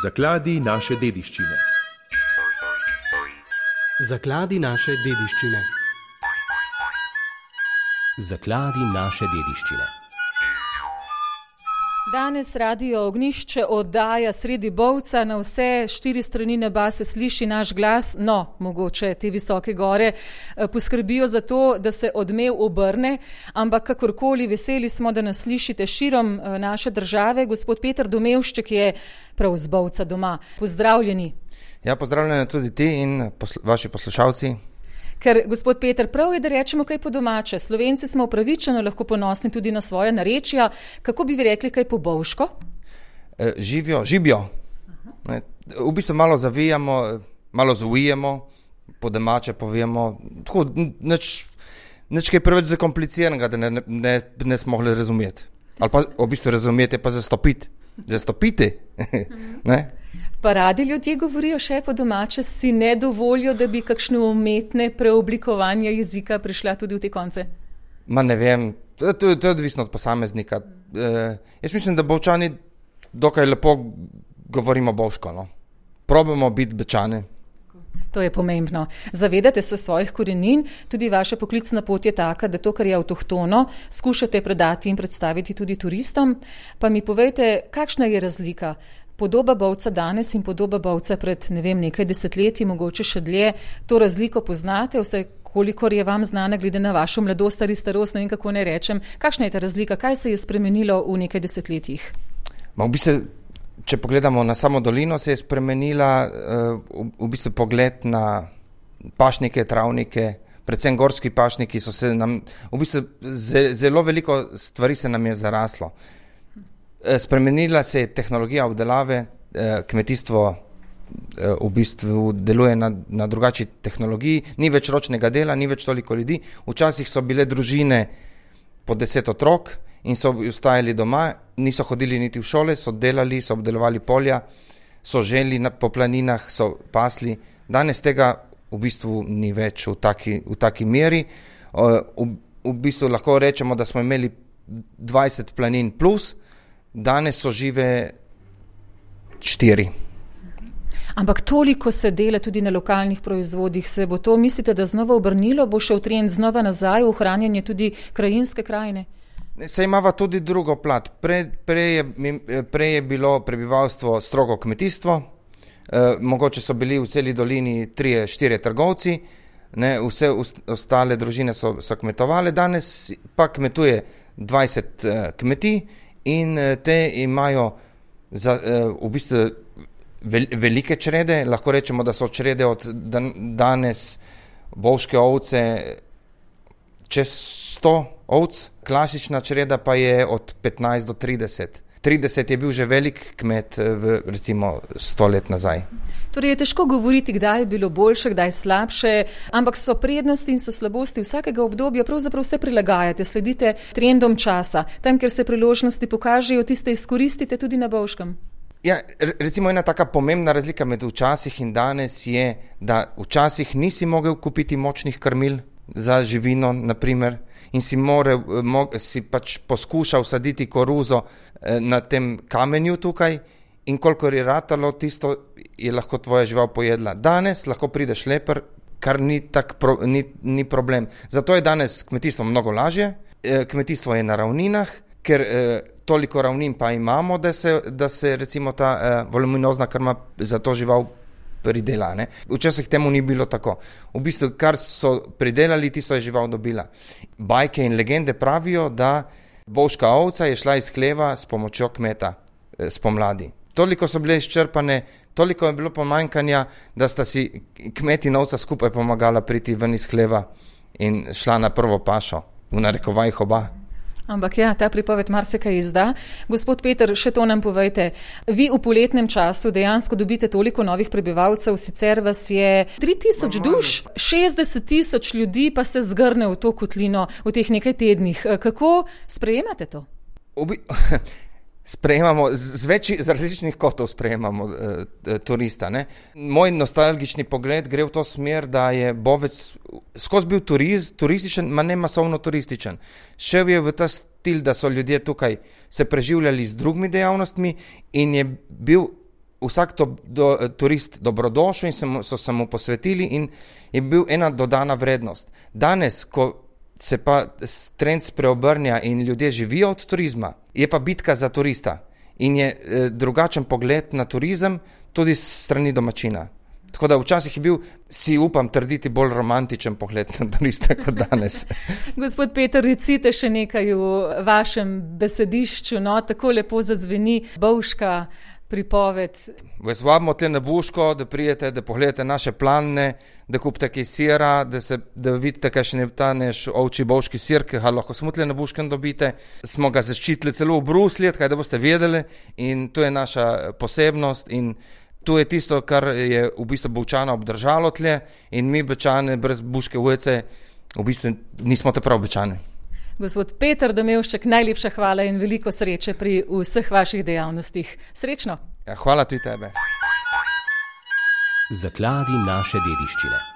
Zakladi naše dediščine. Zakladi naše dediščine. Zakladi naše dediščine. Danes Radio Ognjišče oddaja sredi Bovca, na vse 4 strani neba se sliši naš glas, no, mogoče te visoke gore poskrbijo za to, da se odmev obrne, ampak kakorkoli veseli smo, da nas slišite širom naše države. Gospod Peter Domevšček je prav z Bovca doma. Pozdravljeni. Ja, pozdravljeni tudi ti in vaši poslušalci. Ker, gospod Peter, prav je, da rečemo kaj po domače. Slovenci smo upravičeno lahko ponosni tudi na svoje narečja. Kako bi vi rekli kaj po bovško? Živjo. V bistvu malo zavijamo, malo zavijemo, po domače povemo. Tako, nič kaj preveč zakompliciranega, da ne smo mogli razumeti. Ali pa v bistvu razumeti, pa zastopiti. Zastopiti. Ne? Pa radi ljudje govorijo še po domače, si ne dovolijo, da bi kakšne umetne preoblikovanja jezika prišla tudi v te konce? Ma ne vem, to je odvisno od posameznika. Jaz mislim, da Bovčani dokaj lepo govorimo bovško. No? Probamo biti Bečani. To je pomembno. Zavedate se svojih korenin, tudi vaša poklicna pot je taka, da to, kar je avtohtono, skušate predati in predstaviti tudi turistom. Pa mi povejte, kakšna je razlika? Podoba Bovca danes in podoba Bovca pred, nekaj desetletji, mogoče še dlje, to razliko poznate, vse kolikor je vam znana, glede na vašo mladost ali starost, ne vem kako ne rečem. Kakšna je ta razlika? Kaj se je spremenilo v nekaj desetletjih? V bistvu, če pogledamo na samo dolino, se je spremenila v bistvu pogled na pašnike, travnike, predvsem gorski pašniki so se nam, v bistvu zelo veliko stvari se nam je zaraslo. Spremenila se je tehnologija obdelave, kmetijstvo v bistvu deluje na drugačni tehnologiji, ni več ročnega dela, ni več toliko ljudi. Včasih so bile družine po 10 otrok in so ostajali doma, niso hodili niti v šole, so delali, so obdelovali polja, so želi po planinah, so pasli. Danes tega v bistvu ni več v taki meri. V bistvu lahko rečemo, da smo imeli 20 planin plus, danes so žive 4. Ampak toliko se dela tudi na lokalnih proizvodih. Se bo to, mislite, da znova obrnilo, bo šel trend znova nazaj v ohranjanje tudi krajinske krajine? Se imava tudi drugo plat. Prej je bilo prebivalstvo strogo kmetijstvo, mogoče so bili v celi dolini 3-4 trgovci, vse ostale družine so kmetovale, danes pa kmetuje 20 kmetij, in te imajo v bistvu velike črede, lahko rečemo, da so črede od danes bovške ovce čez 100 ovc, klasična čreda pa je od 15 do 30. 30 je bil že velik kmet recimo 100 let nazaj. Torej je težko govoriti, kdaj je bilo boljše, kdaj slabše, ampak so prednosti in so slabosti vsakega obdobja, pravzaprav vse prilagajate, sledite trendom časa. Tam, kjer se priložnosti pokažejo, tiste izkoristite tudi na bovškem. Ja, recimo ena taka pomembna razlika med včasih in danes je, da včasih nisi mogel kupiti močnih krmil za živino, naprimer, in si pač poskušal saditi koruzo na tem kamenju tukaj, in kolikor je ratalo, tisto je lahko tvoja žival pojedla. Danes lahko pride šleper, kar ni problem. Zato je danes kmetijstvo mnogo lažje, kmetijstvo je na ravninah, ker toliko ravnin pa imamo, da se recimo ta voluminozna krma za to žival pridela. Ne? Včasih temu ni bilo tako. V bistvu, kar so pridelali, tisto je žival dobila. Bajke in legende pravijo, da bovška ovca je šla iz hleva s pomočjo kmeta spomladi. Toliko so bile izčrpane, toliko je bilo pomanjkanja, da sta si kmet in ovca skupaj pomagala priti ven iz hleva in šla na prvo pašo, v narekovajih oba. Ampak ja, ta pripoved marsikaj izda. Gospod Peter, še to nam povejte. Vi v poletnem času dejansko dobite toliko novih prebivalcev, sicer vas je 3000 duš, 60 000 ljudi pa se zgrne v to kotlino v teh nekaj tednih. Kako sprejemate to? Sprejemamo, z različnih kotov sprejemamo turista. Ne? Moj nostalgični pogled gre v to smer, da je Bovec skozi bil turističen, ma ne masovno turističen. Šel je v ta stil, da so ljudje tukaj se preživljali z drugimi dejavnostmi in je bil vsak turist dobrodošel in so se mu posvetili in je bil ena dodana vrednost. Danes, ko se pa trend spreobrnja in ljudje živijo od turizma, je pa bitka za turista in je drugačen pogled na turizem tudi strani domačina. Tako da včasih je bil, si upam trditi, bolj romantičen pogled na turiste kot danes. Gospod Peter, recite še nekaj v vašem besedišču, no, tako lepo zazveni bovška pripoved. Vas vabimo tle na Buško, da prijete, da pogledate naše planine, da kupite kaj sira, da vidite, kakšen je ta naš ovčji bovški sir, ki ga lahko samo tle na Buškem dobite. Smo ga zaščitili celo v Bruslju, kaj da boste vedeli, in to je naša posebnost in to je tisto, kar je v bistvu Bovčana obdržalo tle in mi Bečane brez Buške ulice v bistvu nismo te prav Bečane. Gospod Peter Domevšček, najlepša hvala in veliko sreče pri vseh vaših dejavnostih. Srečno! Ja, hvala tudi tebe. Zakladi naše dediščine.